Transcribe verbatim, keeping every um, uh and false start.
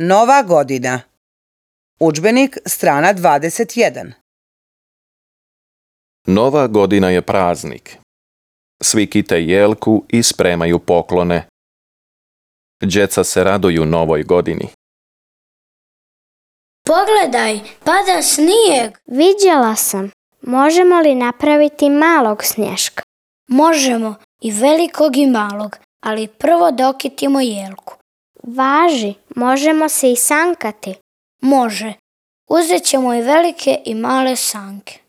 Nova godina. Udžbenik strana dvadeset jedan. Nova godina je praznik. Svi kite jelku i spremaju poklone. Djeca se raduju novoj godini. Pogledaj, pada snijeg. Viđala sam. Možemo li napraviti malog snješka? Možemo, i velikog i malog, ali prvo dokitimo jelku. Važi, možemo se i sankati. Može. Uzet ćemo i velike i male sanke.